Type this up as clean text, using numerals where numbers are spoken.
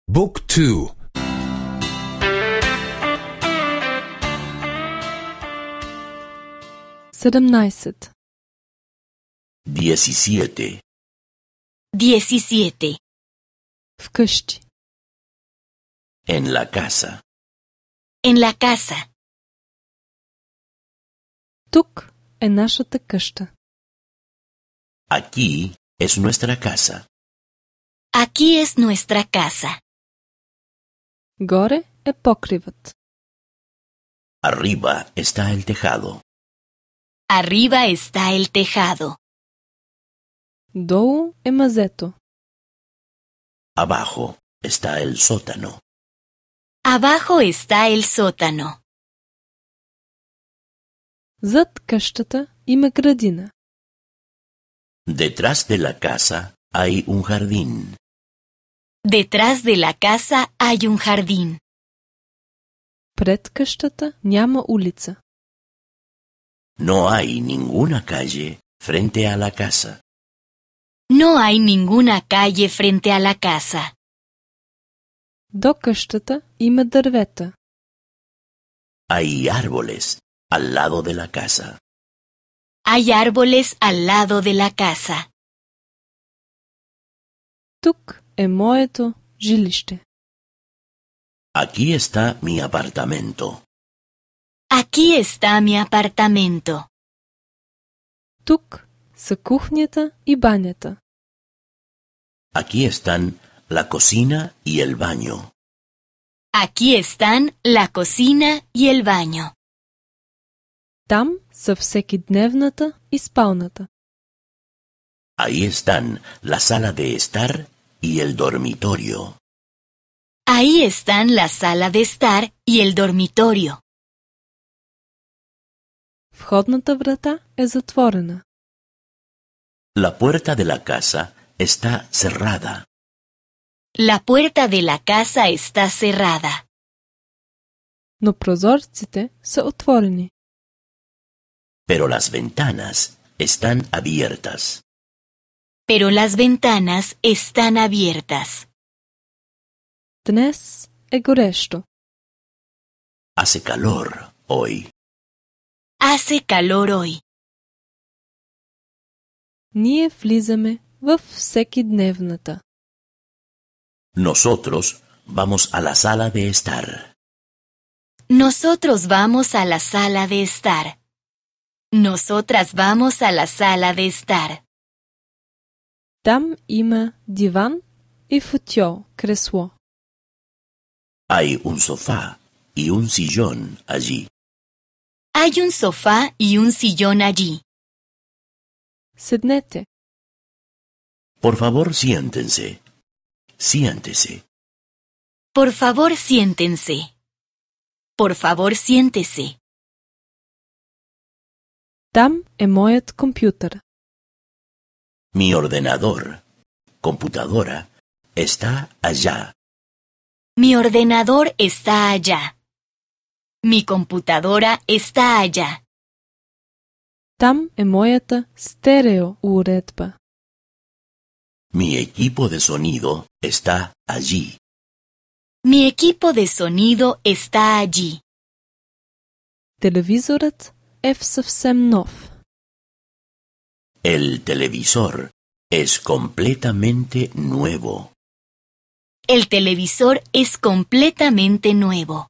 Book 2. 17. 17. 17. Вкъщи. En la casa. En la casa. Тук е нашата къща. Aquí es nuestra casa. Aquí es nuestra casa. Горе е покривът. Arriba está el tejado. Arriba está el tejado. Долу е мазето. Abajo está el sótano. Abajo está el sótano. Зад къщата има градина. Detrás de la casa hay un jardín. Detrás de la casa hay un jardín. Пред къщата няма улица. No hay ninguna calle frente a la casa. No hay ninguna calle frente a la casa. До къщата има дървета. Hay árboles al lado de la casa. Hay árboles al lado de la casa. Тук е моето жилище. Aquí está mi apartamento. Aquí está mi apartamento. Тук са кухнята и банята. Aquí están la cocina y el baño. Aquí están la cocina y el baño. Там са всекидневната и спалната. Ahí están la sala de estar y el dormitorio. Ahí están la sala de estar y el dormitorio. Входната врата е затворена. La puerta de la casa está cerrada. La puerta de la casa está cerrada. Но прозорците са отворени. Pero las ventanas están abiertas. Pero las ventanas están abiertas. Днес е горещо. Hace calor hoy. Hace calor hoy. Ние влизаме в всекидневната. Nosotros vamos a la sala de estar. Nosotros vamos a la sala de estar. Nosotras vamos a la sala de estar. Там има диван и футьол, кресло. Hay un sofá y un sillón allí. Hay un sofá y un sillón allí. Седнете. Por favor, siéntense. Siéntese. Por favor, siéntense. Por favor, siéntese. Там е моят компютър. Mi ordenador, computadora, está allá. Mi ordenador está allá. Mi computadora está allá. Там е моята стереоуредба. Mi equipo de sonido está allí. Mi equipo de sonido está allí. Телевизорът е в съвсем нов. El televisor es completamente nuevo. El televisor es completamente nuevo.